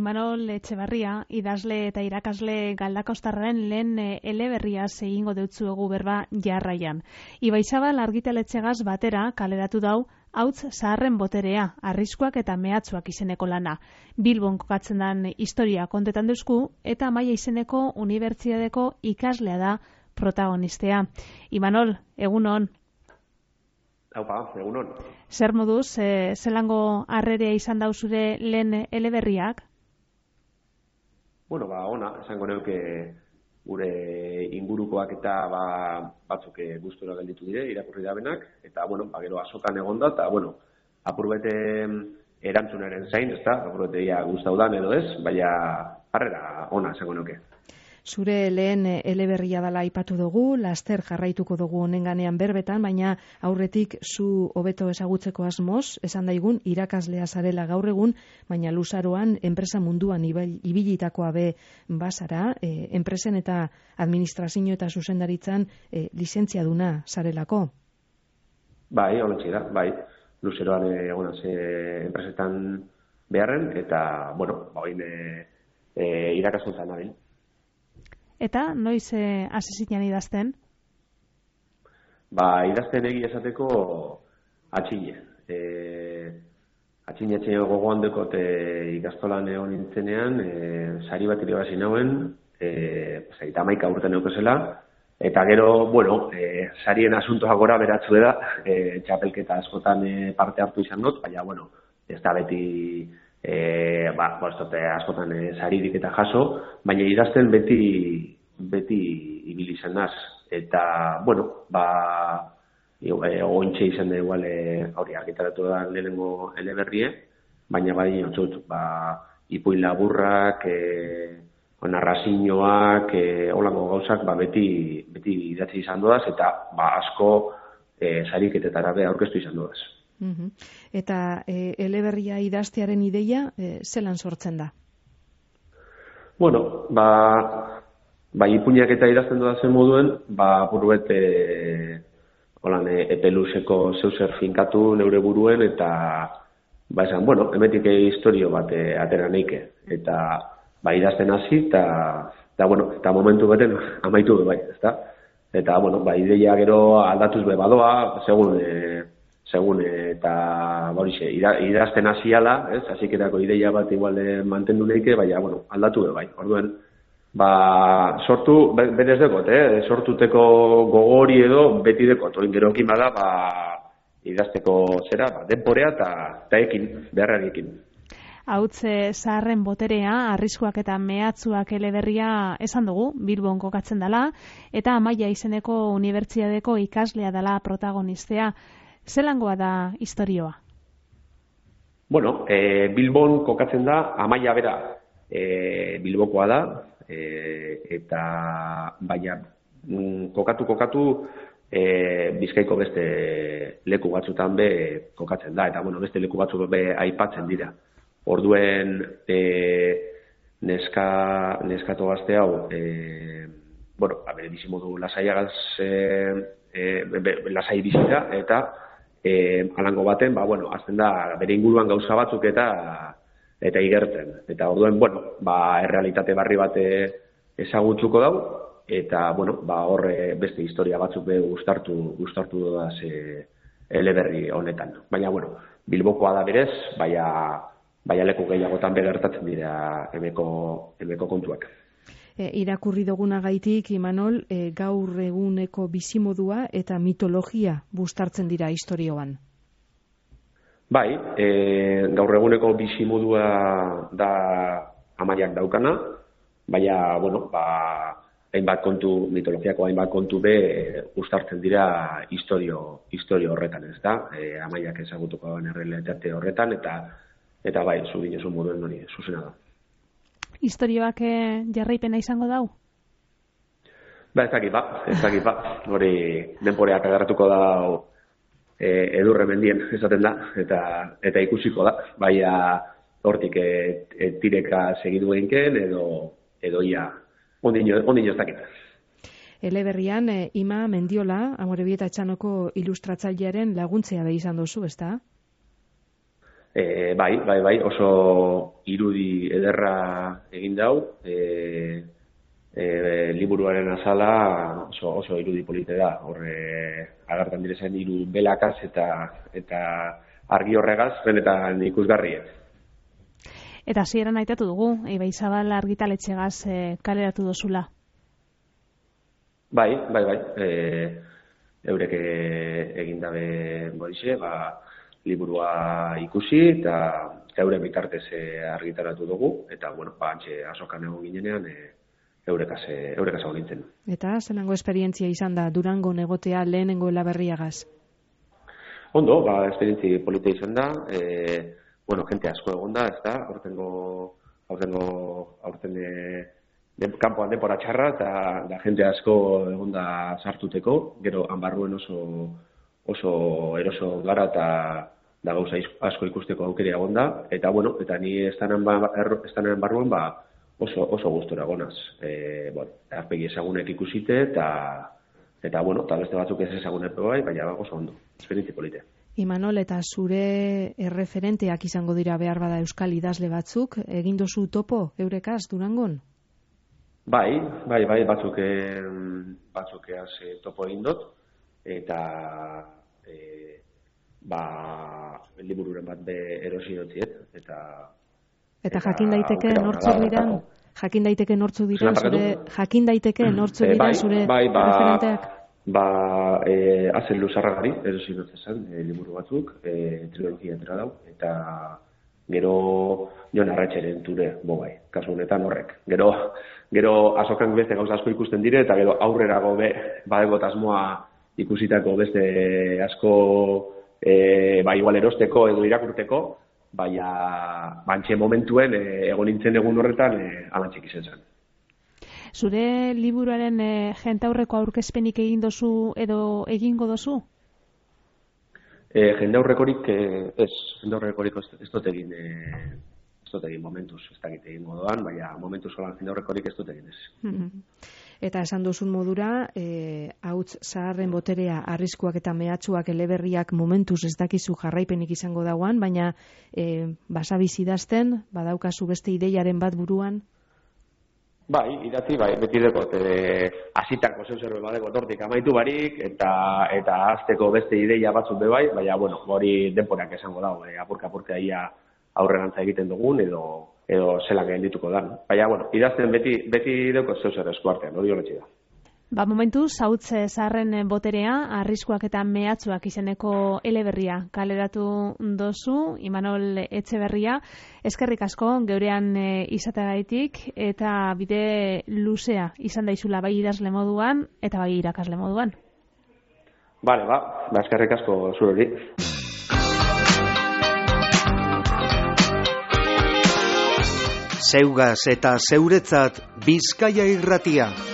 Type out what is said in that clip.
Imanol Etxebarria, idazle eta irakasle Galdakostarraren lehen eleberriaz egingo deutzuegu berba jarraian. Ibaizabal argitaletxegaz batera kaleratu dau Hauts zaharren boterea, arriskuak eta mehatzuak izeneko lana. Bilbon kokatzen den historia kontetan duzku eta Amaia izeneko unibertsitateko ikaslea da protagonistea. Imanol, egunon. Haupa, egunon. Zer moduz, zelango harrerea izan dau zure lehen eleberriak? Bueno, ona, esango neuke gure ingurukoak eta batzuk gustura gelditu dire, irakurri dabenak, eta, gero azokan egonda, eta, apurbete erantzunaren zain, ezta, apurbete ia gustaudan edo ez, baina harrera ona, esango neuke. Zure lehen eleberria dela aipatu dugu, laster jarraituko dugu honenganean berbetan, baina aurretik zu hobeto ezagutzeko asmoz, esan daigun irakaslea zarela gaur egun, baina luzaroan enpresa munduan ibilitakoa be bazara, enpresen eta administrazio eta zuzendaritzan lizentziaduna zarelako. Bai, honetxe da, bai. Luzeroan egonaz enpresetan beharren, eta, hoin irakaskuntzan nabil. Eta noiz hasi zinen idazten? Idazten egia esateko atxine. Atxine gogoan dekot ikastolan egon nintzenean, sari bat irabazi nauen, 11 urte neukezela, eta gero, sarien asuntoa gora beratzu da, txapelketa askotan parte hartu izan dut, baina, ez da beti askotan saririk eta jaso, baina idazten beti ibili izan naz. Eta, ointxe izan da igual hori argitaratu da lehenengo eleberrie, baina bai ipuin laburrak, narrazioak, holango gauzak beti idatzi izan dudaz, eta asko sariketetara be aurkeztu izan dudaz. Eta eleberria idaztearen ideia zelan sortzen da? Ipuinak eta idazten dudazen moduen, buruet epeluzeko zeuzer finkatu neure buruen, eta esan, emetik historio bat atera neike. Eta idazten hasi, eta momentu beten amaitu du bai, ezta? Eta, ideia gero aldatuz be badoa, segun eta idazten hasiala, ez? Hasiketako ideia bat igual mantendu neike, baina aldatu be bai. Orduen sortu berez dekot, sortuteko gogori edo beti dekot. Oin gerokin bada idazteko zera, denporea eta ekin, beharrarekin. Hauts zaharren boterea, arriskuak eta mehatzuak eleberria esan dugu, Bilbon kokatzen dela, eta Amaia izeneko unibertsitateko ikaslea dela protagonistea. Zelangoa da istorioa? Bilbon kokatzen da, Amaia bera Bilbokoa da, eta baina kokatu Bizkaiko beste leku batzutan be kokatzen da, eta beste leku batzuk be aipatzen dira. Orduen neskato gazte hau, bere bizimodu lasaiagaz lasai bizita, eta alango baten, azten da bere inguruan gauza batzuk eta igertzen. Eta orduen, errealitate barri bat ezagutzuko dau, eta, horre beste historia batzuk be gustartu dodaz eleberri honetan. Baina, Bilbokoa da berez, baina leku gehiagotan begertatzen dira emeko kontuak. Irakurri dugunagaitik, Imanol, gaur eguneko bizimodua eta mitologia bustartzen dira historioan. Bai, gaur eguneko bizimodua da Amaiak daukana, baina, hainbat kontu, mitologiako hainbat kontu be uztartzen dira historio horretan, ez da? Amaiak ezagutuko den errealitate horretan, eta bai, zu dinezun moduen hori, zuzena da. Historioak jarraipena izango dau? Ez dakit. Hori denporeak agarratuko dau edurre mendien, esaten da, eta ikusiko da. Baina hortik tireka segidu eginken, edo ia ondino ez dakit. Eleberrian, Ima Mendiola, Amorebieta Etxanoko ilustratzailearen laguntzea be izan duzu, ezta? Bai, oso irudi ederra egin dau, liburuaren azala oso irudi polite da, agertan direzen hiru belakaz eta argi horregaz, benetan ikusgarria. Eta hasieran aitatu dugu, Ibaizabal argitaletxegaz kaleratu dozula. Bai, eurek egin dabe borixe, liburua ikusi eta euren bitartez argitaratu dugu, eta, antxe azokan egon ginenean, eurekaz egon nintzen. Eta zelango esperientzia izan da Durangon egotea lehenengo Eleberriagaz? Ondo, esperientzia polita izan da, jente asko egon da, ez da, aurten kanpoan denbora txarra, eta jente asko egon da sartuteko, gero hanbarruen oso eroso gara eta gauza asko ikusteko aukera egon da, eta ni estanen barruan oso gustora gonaz. Arpegi ezagunek ikusite, eta beste batzuk ez ezagunek bai, baina oso ondo, esperientzia polite. Imanol, eta zure erreferenteak izango dira behar bada euskal idazle batzuk, egin dozu topo eurekaz Durangon? Bai, batzuk topo egin dut, eta libururen bat erosi dutziet, eta jakin daiteke nortzuk diren zure referenteak? Azen Luzarragari erosi dut esan, liburu batzuk, trilogia entera dau, eta gero Jon Arratxeren ture, kasu honetan horrek. Gero azokan beste gauza asko ikusten dire, eta gero aurrerago badego asmoa ikusitako beste asko igual erosteko edo irakurteko, bantxe momentuen egon nintzen egun horretan alantxik izan zen. Zure liburuaren jentaurreko aurkezpenik egin dozu edo egingo dozu? Jendaurrekorik ez dut egin momentuz, ez dakit egingo doan, baina momentuz holan jendaurrekorik ez dut egin ez. Eta esan duzun modura, hauts zaharren boterea, arriskuak eta mehatxuak eleberriak momentuz ez dakizu jarraipenik izango dauan, baina basabiz idazten, badaukazu beste ideiaren bat buruan? Idatzi, beti dekot, azitako zeuzerbe badeko tortik amaitu barik, eta azteko beste ideia batzuk bebai, baina, hori denporak esango dago, apurka ia aurrerantza egiten dugun, edo zelan geldituko da. Baina, idazten beti dekot zeuzer eskuartean, hori holetxe da. Momentuz, hauts zaharren boterea, arriskuak eta mehatxuak izeneko eleberria kaleratu dozu, Imanol Etxeberria. Eskerrik asko, geurean izateagaitik, eta bide luzea izan daizula bai idazle moduan, eta bai irakasle moduan. Bale, eskerrik asko zureri. Zeugaz eta zeuretzat Bizkaia Irratia.